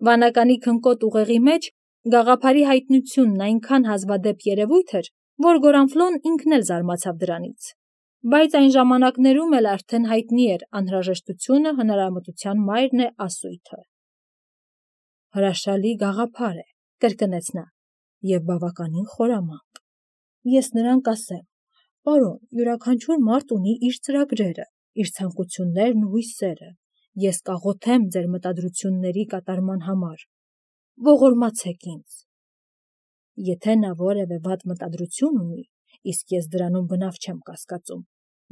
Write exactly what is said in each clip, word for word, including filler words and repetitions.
Վանականի քնկոտ ուղեղի մեջ գաղափարի հայտնությունն այնքան հազվադեպ երևույթ էր, որ Գորանֆլոն ինքն էլ զարմացավ դրանից, բայց այն ժամանակներում էլ արդեն հայտնի էր անհրաժեշտությունը հնարամտության մայրն է ասույթը։ Հրաշալի գաղափար է, կրկնեց նա, և բավականին խորամանկ։ Ես նրան կասեմ, պարոն, յուրաքանչյուր մարդ ունի իր ծրագրերը, իր ցանկություններն ու հույսերը, ես կաղոթեմ ձեր մտադրությունների կատարման համար, ողորմացեք ինձ։ Եթե նա որևէ վատ մտադրություն ունի, իսկ ես դրանում բնավ չեմ կասկածում,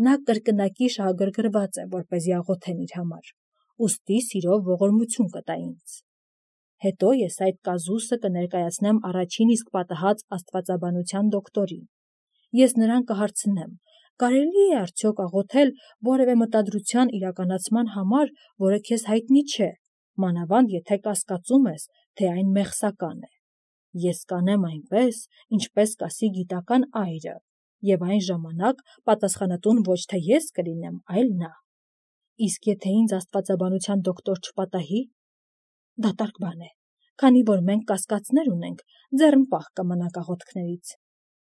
նա կրկնակի շահագրգռված է, որպեսզի աղոթեմ իր համար, ուստի սիրով ողորմություն կտա ինձ։ Հետո ես այդ կազուսը կներկայացնեմ առաջին իսկ պատահած աստվածաբանության դոկտորին։ Ես նրան կհարցնեմ, կարելի է արդյոք աղոթել որևէ մտադրության իրականացման համար, որը քեզ հայտնի չէ, մանավանդ եթե կասկածում ես, թե այն մեղսական է։ Ես կանեմ այնպես, ինչպես կասի գիտական այրը, և այն ժամանակ պատասխանատուն ոչ թե ես կլինեմ, այլ նա։ Իսկ եթե ինձ աստվածաբանության դոկտոր չպատահի, դատարկ բան է, քանի որ մենք կասկածներ ունենք, ձեռնպահ կմնանք աղոթքներից,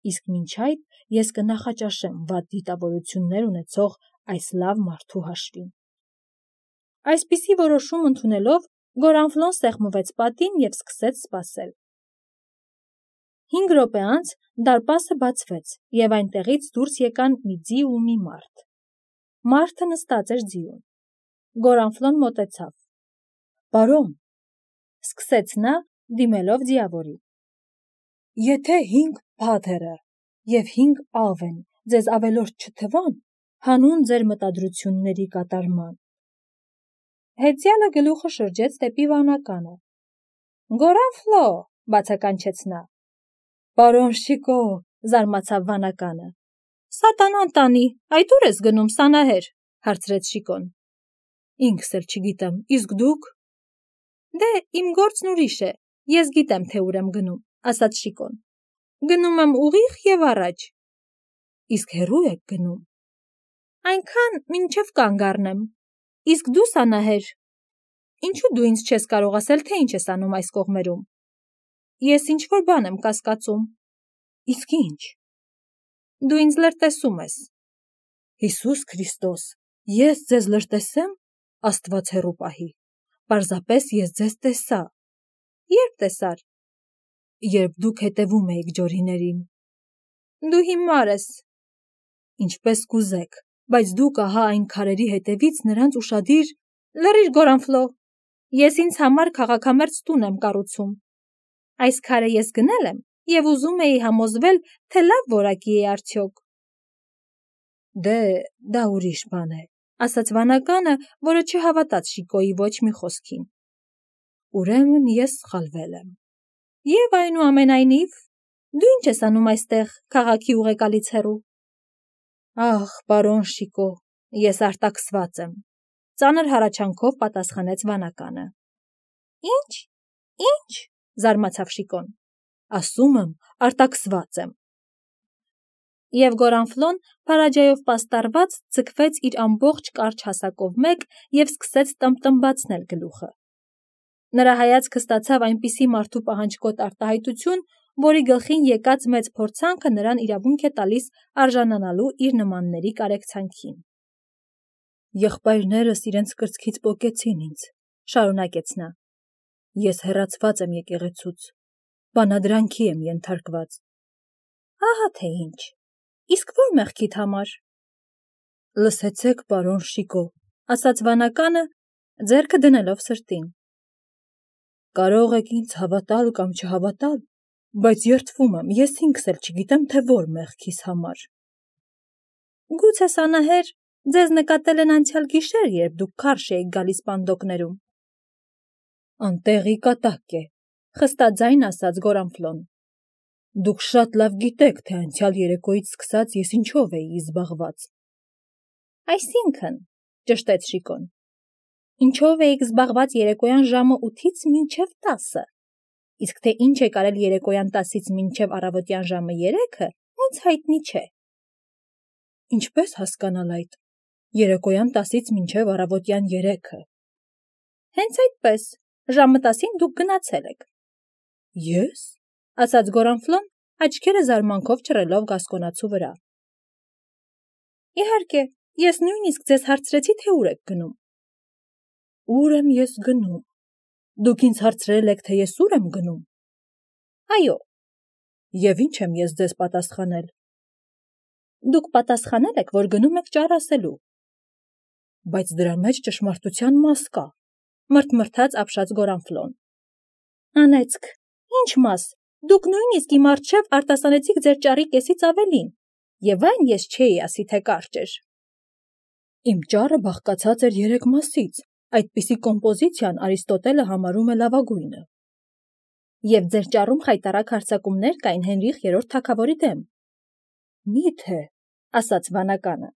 իսկ մինչ այդ ես կնախաճաշեմ վատ դիտավորություններ ունեցող այս լավ մարդու հաշվին։ Այսպիսի որոշում ընդունելով, Գորանֆլոն սեղմվեց պատին և սկսեց սպասել։ Հինգ րոպե անց դարպասը բացվեց, և այնտեղից դուրս եկան մի ձի ու մի մարդ։ Մարդը նստած էր ձիուն։ Գորանֆլոն մոտեցավ։ Պարոն, սկսեց նա, դիմելով ձիավորին, եթե հինգ փաթերը և հինգ ավեն ձեզ ավելորդ չթվան, հանուն ձեր մտադրությունների կատարման։ Հեծյալը գլուխը շրջեց դեպի վանականը։ Գորանֆլո, բացականչեց նա։ Պարոն Շիկո, զարմացավ վանականը։ Սատանան տանի, այդ ուր ես գնում, սանահեր, հարցրեց Շիկոն։ Ինքս էլ չգիտեմ, իսկ դուք։ Դե իմ գործն ուրիշ է, ես գիտեմ, թե ուր եմ գնում, ասաց Շիկոն։ Գնում եմ ուղիղ և առաջ։ Իսկ հեռու եք գնում։ Այնքան, մինչև կանգ առնեմ։ Իսկ դու սանահեր։ Ինչու դու ինձ չես կարող ասել, թե ինչ ես անում այս կողմերում։ Ես ինչ-որ բան եմ կասկածում։ Իսկ ինչ։ Դու ինձ լրտեսում ես։ Հիսուս Քրիստոս, ես ձեզ լրտեսեմ, Աստված հեռու պահի։ Պարզապես ես ձեզ տեսա։ Երբ տեսար։ Երբ դուք հետևում էիք ջորիներին։ Դու հիմար ես։ Ինչպես կուզեք, բայց դուք ահա այն քարերի հետևից նրանց ուշադիր։ Լռիր, Գորանֆլո, ես ինձ համար քաղաքամերձ տուն եմ կառուցում։ Այս քարը ես գնել եմ և ուզում էի համոզվել, թե լավ որակի է արդյոք։ Դե, դա ուրիշ բան է, ասաց վանականը, որը չհավատաց Շիկոյի ոչ մի խոսքին։ Ուրեմն ես սխալվել եմ։ Եվ այնուամենայնիվ, դու ինչ ես անում այստեղ, քաղաքի ուղեկալից հեռու։ Ախ, պարոն Շիկո, ես արտաքսված եմ, ծանր հառաչանքով պատասխանեց վանականը։ Ինչ, ինչ, զարմացավ Շիկոն։ Ասում եմ, արտաքսված եմ։ Եվ Գորանֆլոն, փարաջայով պաստառված, ձգվեց իր ամբողջ կարճ հասակով մեկ և սկսեց տմբտմբացնել գլուխը։ Նրա հայացքը ստացավ այնպիսի մարդու պահանջկոտ արտահայտություն, որի գլխին եկած մեծ փորձանքը նրան իրավունք է տալիս արժանանալու իր նմանների կարեկցանքին։ Եղբայրներս իրենց կրծքից պոկեցին ինձ, շարունակեց նա։ Ես հեռացված եմ եկեղեցուց, բանադրանքի եմ ենթարկված։ Ահա թե ինչ, իսկ որ մեղքիդ համար։ Լսեցեք, պարոն Շիկո, ասաց վանականը, ձեռքը դնելով սրտին։ Կարող եք ինձ հավատալ կամ չհավատալ, բայց երդվում եմ, ես ինքս էլ չգիտեմ, թե որ մեղքիս համար։ Գուցե սանահեր, ձեզ նկատել են անցյալ գիշեր, երբ դուք քարշ էիք գալիս պանդոկներում։ Անտեղի կատակ է, խստաձայն ասաց Գորանֆլոն։ Դուք շատ լավ գիտեք, թե անցյալ երեկոյից սկսած ես ինչով էի զբաղված։ Այսինքն, ճշտեց Շիկոն, ինչով էիք զբաղված երեկոյան ժամը ութից մինչև տասը, իսկ թե ինչ եք արել երեկոյան տասից մինչև առավոտյան ժամը երեքը, ինձ հայտնի չէ։ Ինչպես հասկանալ այդ, երեկոյան տասից մինչև առավոտյան երեքը։ Հենց այդպես, ժամը տասին դուք գնացել եք։ Ես, ասաց Գորանֆլոն, աչքերը զարմանքով ճռելով Գասկոնացու վրա։ Իհարկե, ես նույնիսկ ձեզ հարցրեցի, թե ուր եք գնում։ Ուր եմ ես գնում։ Դուք ինձ հարցրել եք, թե ես ուր եմ գնում։ Այո։ Եվ ինչ եմ ես ձեզ պատասխանել։ Դուք պատասխանել եք, որ գնում եք ճար ասելու։ Բայց դրա մեջ ճշմարտության մաս կա, մրթմրթաց ապշած Գորանֆլոն։ Անեծք, ինչ մաս, դուք նույնիսկ իմ առջև արտասանեցիք ձեր ճարի կեսից ավելին, եւ այն ես չէի ասի, թե կարճ էր։ Իմ ճարը բաղկացած էր երեք մասից, այդպիսի կոմպոզիցիան Արիստոտելը համարում է լավագույնը։ Եվ ձեր ճարում խայտառակ հարձակումներ կային Հենրիխ երրորդ թագավորի դեմ։ Մի՞թե, ասաց վանականը։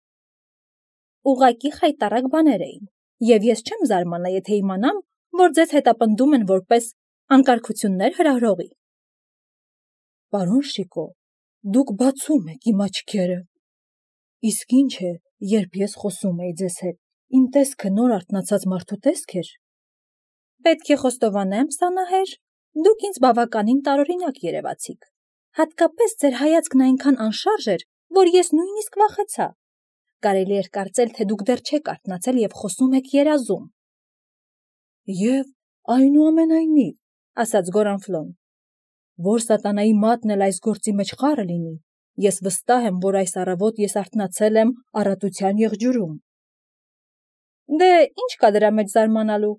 Ուղղակի խայտառակ բաներ էին, եւ ես չեմ զարմանա, եթե իմանամ, որ ձեզ հետապնդում են որպես անկարգություններ հրահրողի։ Պարոն Շիկո, դուք բացում եք իմ աչքերը։ Իսկ ինչ է, երբ ես խոսում էի ձեզ հետ, իմ տեսքը նոր արթնացած մարդու տեսք էր։ Պետք է խոստովանեմ, Սանահեր, դուք ինձ բավականին տարօրինակ երևացիք։ Հատկապես ձեր հայացքն այնքան անշարժ էր, որ ես նույնիսկ վախեցա։ Կարելի էր կարծել, թե դուք դեռ չեք արթնացել եւ խոսում եք երազում։ Եվ այնուամենայնիվ, ասաց Գորանֆլոն, որ սատանայի մատն էլ այս գործի մեջ խառը լինի, ես վստահ եմ, որ այս առավոտ ես արթնացել եմ առատության եղջյուրում։ Դե, ինչ կա դրա մեջ զարմանալու։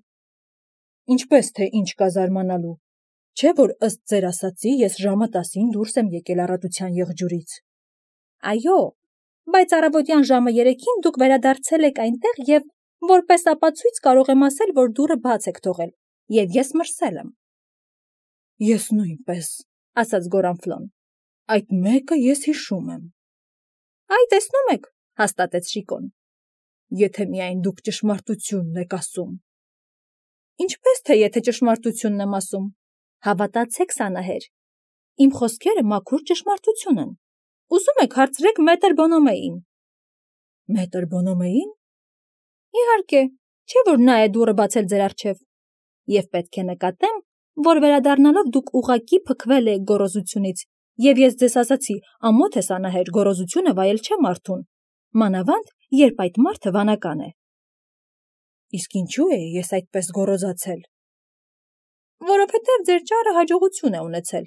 Ինչպես թե ինչ կա զարմանալու։ Չէ՞ որ ըստ ձեր ասացի, ես ժամը տասին դուրս եմ եկել առատության եղջյուրից։ Այո, բայց առավոտյան ժամը երեքին դուք վերադարձել եք այնտեղ եւ որպես ապացույց կարող եմ ասել, որ դուռը բաց եք թողել, եւ ես մրսել եմ։ Ես նույնպես, ասաց Գորանֆլոն։ Այդ մեկը ես հիշում եմ։ Այ տեսնում եք, հաստատեց Շիկոն։ Եթե միայն դուք ճշմարտությունն եք ասում։ Ինչպես թե եթե ճշմարտությունն եմ ասում։ Հավատացեք, Սանահեր, իմ խոսքերը մաքուր ճշմարտություն են։ Ուզում եք հարցրեք մետր Բոնոմեին։ Մետր Բոնոմեին։ Իհարկե, չէ՞ որ նա է դուռը բացել ձեր առջև։ Եվ պետք է նկատեմ, որ վերադառնալով դուք ուղղակի փքվել եք գոռոզությունից, եւ ես ձեզ ասացի, ամոթ է Սանահեր, գոռոզությունը վայել չէ մարդուն, մանավանդ, երբ այդ մարդը վանական է։ Իսկ ինչու է ես այդպես գոռոզացել։ Որովհետև ձեր ճարը հաջողություն է ունեցել։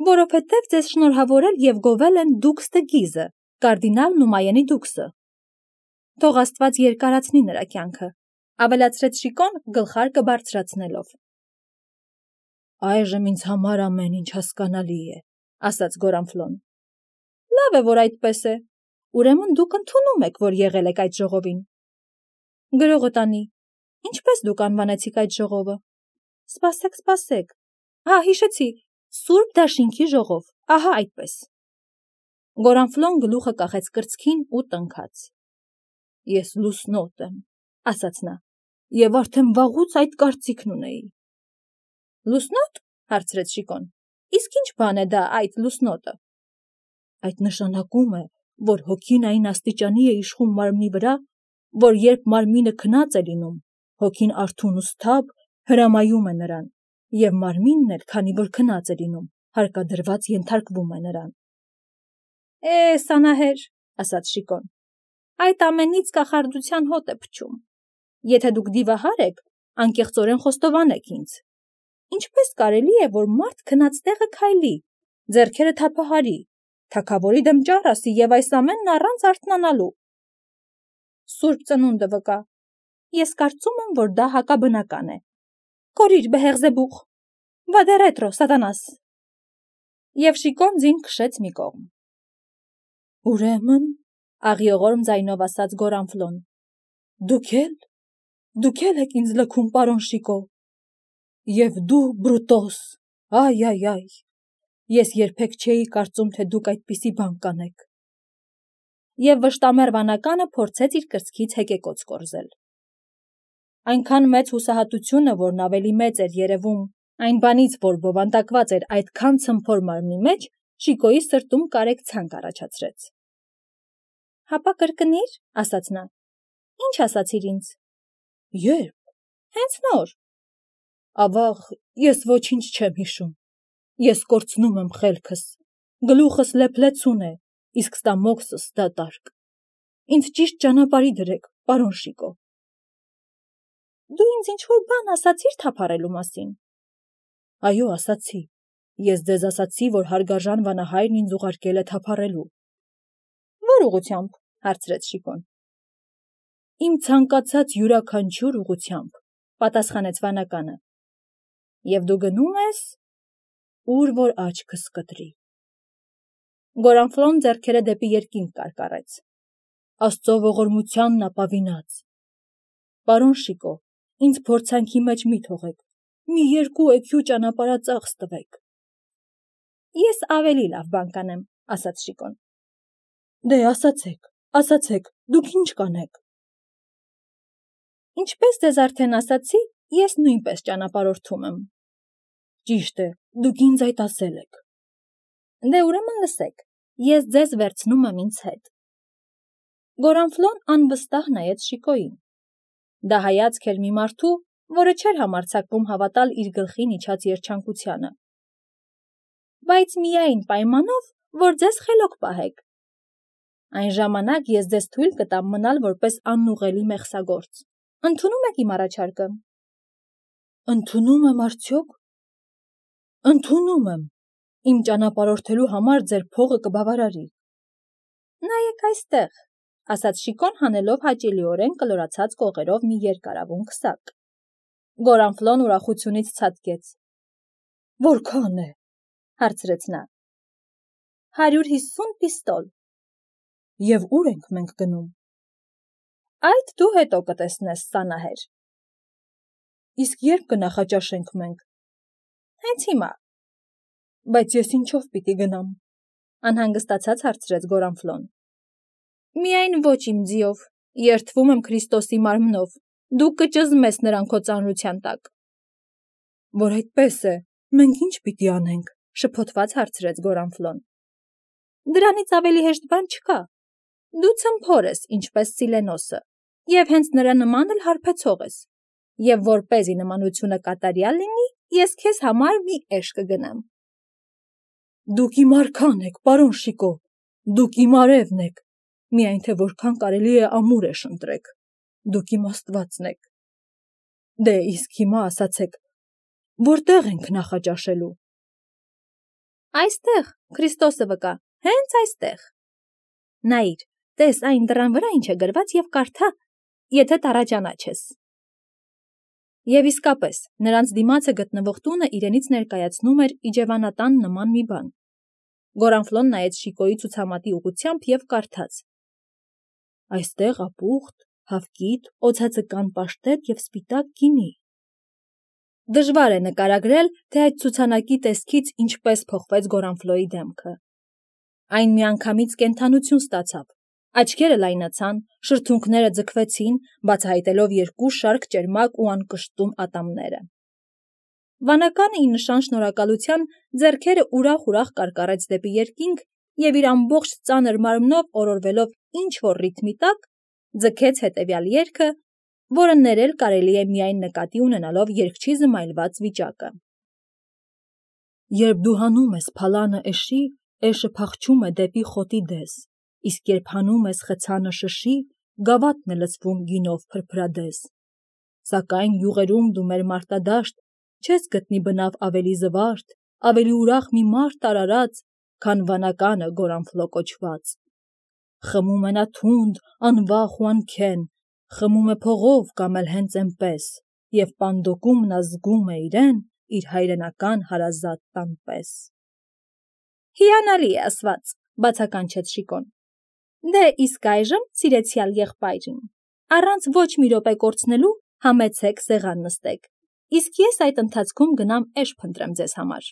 Որովհետև ձեզ շնորհավորել եւ գովել են Դուքս դը Գիզը, կարդինալն ու Մայենի դուքսը։ Թող Աստված երկարացնի նրա կյանքը, ավելացրեց Շիկոն գլխարկը բարձրացնելով։ Այժմ ինձ համար ամեն ինչ հասկանալի է, ասաց Գորանֆլոն։ Լավ է, որ այդպես է։ Ուրեմն դուք ընդունում եք, որ եղել եք այդ ժողովին։ Գրողը տանի, ինչպես դուք անվանեցիք այդ ժողովը։ Սպասեք, սպասեք։ Հա, հիշեցի, Սուրբ Դաշինքի ժողով, ահա այդպես։ Գորանֆլոն գլուխը կախեց կրծքին ու տնքաց։ Ես լուսնոտ եմ, ասաց նա, եւ արդեն վաղուց այդ կարծիքն ունեի։ Լուսնոտ, հարցրեց Շիկոն, իսկ ինչ բան է դա այդ լուսնոտը։ Այդ նշանակում է, որ հոգին այն աստիճանի է իշխում մարմնի վրա, որ երբ մարմինը քնած է լինում, հոգին արթուն ու սթափ հրամայում է նրան, եւ մարմինն էլ, քանի որ քնած է լինում, հարկադրված ենթարկվում է նրան։ Է, Սանահեր, ասաց Շիկոն, այդ ամենից կախարդության հոտ է փչում։ Եթե դուք դիվահար եք, անկեղծորեն խոստովանեք ինձ։ Ինչպես կարելի է, որ մարդ քնած տեղը քայլի, ձեռքերը թափահարի, թագավորի դեմ ճառ ասի եւ այս ամենն առանց արթնանալու։ Սուրբ ծնունդը վկա։ Ես կարծում եմ, որ դա հակաբնական է։ Կորիր, Բեհեղզեբուխ, վադե ռետրո, սատանաս։ Եվ Շիկոն ձին քշեց մի կողմ։ Ուրեմն, աղիողորմ ձայնով ասաց Գորանֆլոն, դուք էլ, դուք էլ եք ինձ լքում, պարոն Շիկո։ Եվ դու, Բրուտոս, այ, այ, այ, ես երբեք չէի կարծում, թե դուք այդպիսի բան կանեք։ Եվ վշտամեռ վանականը փորձեց իր կրծքից հեկեկոծ կորզել։ Այնքան մեծ հուսահատությունը, որն ավելի մեծ էր երևում այն բանից, որ բովանդակված էր այդքան ցմփոր մարմնի մեջ, Շիկոյի սրտում կարեկցանք առաջացրեց։ Հապա կրկնիր, ասաց նա։ Ինչ ասացիր ինձ։ Երբ։ Հենց նոր։ ավաղ, ես ոչինչ չեմ հիշում, ես կորցնում եմ խելքս, գլուխս լեփլեցուն է, իսկ ստամոքսս դատարկ, ինձ ճիշտ ճանապարհի դրեք, պարոն Շիկո։ Դու ինձ ինչ-որ բան ասացիր թափառելու մասին։ Այո, ասացի, ես ձեզ ասացի, որ հարգարժան վանահայրն ինձ ուղարկել է թափառելու։ Որ ուղղությամբ, հարցրեց Շիկոն։ Իմ ցանկացած յուրաքանչյուր ուղղությամբ, պատասխանեց վանականը։ Եվ դու գնում ես, ուր որ աչքս կտրի։ Գորանֆլոն ձեռքերը դեպի երկինք կարկառեց։ Աստծո ողորմությանն ապավինած։ Պարոն Շիկո, ինձ փորձանքի մեջ մի թողեք, մի երկու էքյու ճանապարհածախս տվեք։ Ես ավելի լավ բան կանեմ, ասաց Շիկոն։ Դե ասացեք, ասացեք, դուք ինչ կանեք։ Ինչպես ձեզ արդեն ասացի, ես նույնպես ճանապարհորդում եմ։ Ճիշտ է, դուք ինձ այդ ասել եք։ Դե ուրեմն լսեք, ես ձեզ վերցնում եմ ինձ հետ։ Գորանֆլոն անվստահ նայեց Շիկոյին։ Դա հայացք էր մի մարդու, որը չէր համարձակվում հավատալ իր գլխին իջած երջանկությանը։ Բայց միայն պայմանով, որ ձեզ խելոք պահեք։ Այն ժամանակ ես ձեզ թույլ կտամ մնալ որպես անուղելի մեղսագործ։ Ընդունում եք իմ առաջարկը։ Ընդունում եմ արդյոք։ Ընդունում եմ։ Իմ ճանապարհորդելու համար ձեր փողը կբավարարի։ Նայեք այստեղ, ասաց Շիկոն հանելով հաճելիորեն կլորացած կողերով մի երկարավուն քսակ։ Գորանֆլոն ուրախությունից ցատկեց։ Որքան է, հարցրեց նա։ Հարյուր հիսուն պիստոլ։ Եվ ուր ենք մենք գնում։ Այդ դու հետո կտեսնես, սանահեր։ Իսկ երբ կնախաճաշենք մենք։ Հենց հիմա։ Բայց ես ինչով պիտի գնամ։ Անհանգստացած հարցրեց Գորանֆլոն։ Միայն ոչ իմ ձիով, երդվում եմ Քրիստոսի մարմնով, դու կճզմես նրան քո ծանրության տակ։ Որ այդպես է, մենք ինչ պիտի անենք, շփոթված հարցրեց Գորանֆլոն։ Դրանից ավելի հեշտ բան չկա։ Դու ցմփոր ես, ինչպես Սիլենոսը, եւ հենց նրա նման էլ հարբեցող ես։ Եվ որպեսզի նմանությունը կատարյալ լինի, ես քեզ համար մի էշ կգնամ։ Դուք իմ արքան եք, պարոն Շիկո, դուք իմ արևն եք, միայն թե որքան կարելի է ամուր էշ ընտրեք, դուք իմ Աստվածն եք։ Դե իսկ հիմա ասացեք, որտեղ ենք նախաճաշելու։ Այստեղ, Քրիստոսը վկա, հենց այստեղ։ Նայիր, տես այն դռան վրա ինչ է գրված եւ կարդա, եթե տառաջանաչես։ Եվ իսկապես, նրանց դիմացը գտնվող տունը իրենից ներկայացնում էր իջևանատան նման մի բան։ Գորանֆլոն նայեց Շիկոյի ցուցամատի ուղղությամբ եւ կարդաց. Այստեղ ապուխտ, հավկիթ, օձածկան պաշտետ եւ սպիտակ գինի։ Դժվար է նկարագրել, թե այդ ցուցանակի տեսքից ինչպես փոխվեց Գորանֆլոյի դեմքը։ Այն միանգամից կենթանություն ստացավ, աչքերը լայնացան, շրթունքները ձգվեցին, բացահայտելով երկու շարք ճերմակ ու անկշտում ատամները։ Վանականը ի նշան շնորհակալության ձեռքերը ուրախ-ուրախ կարկառեց դեպի երկինք եւ իր ամբողջ ծանր մարմնով օրորվելով ինչ-որ ռիթմի տակ, ձգեց հետեւյալ երգը, որը ներել կարելի է միայն նկատի ունենալով երգչի զմայլված վիճակը։ Երբ դու հանում ես փալանը էշի, էշը փախչում է դեպի խոտի դես, իսկ երբ հանում ես խցանը շշի, գավաթն է լցվում գինով փրփրադես։ Սակայն յուղերում դու մեր մարտադաշտ չես գտնի բնավ ավելի զվարթ, ավելի ուրախ մի մարդ արարած, քան վանականը Գորանֆլո կոչված։ Խմում է նա թունդ, անվախ ու անքեն, խմում է փողով կամ էլ հենց այնպես, եւ պանդոկում նա զգում է իրեն իր հայրենական հարազատ տան պես։ Հիանալի է ասված, բացականչեց Շիկոն։ Դե իսկ այժմ, սիրեցյալ եղբայրին, առանց ոչ մի րոպե կորցնելու համեցեք սեղան նստեք, իսկ ես այդ ընթացքում գնամ էշ փնտրեմ ձեզ համար։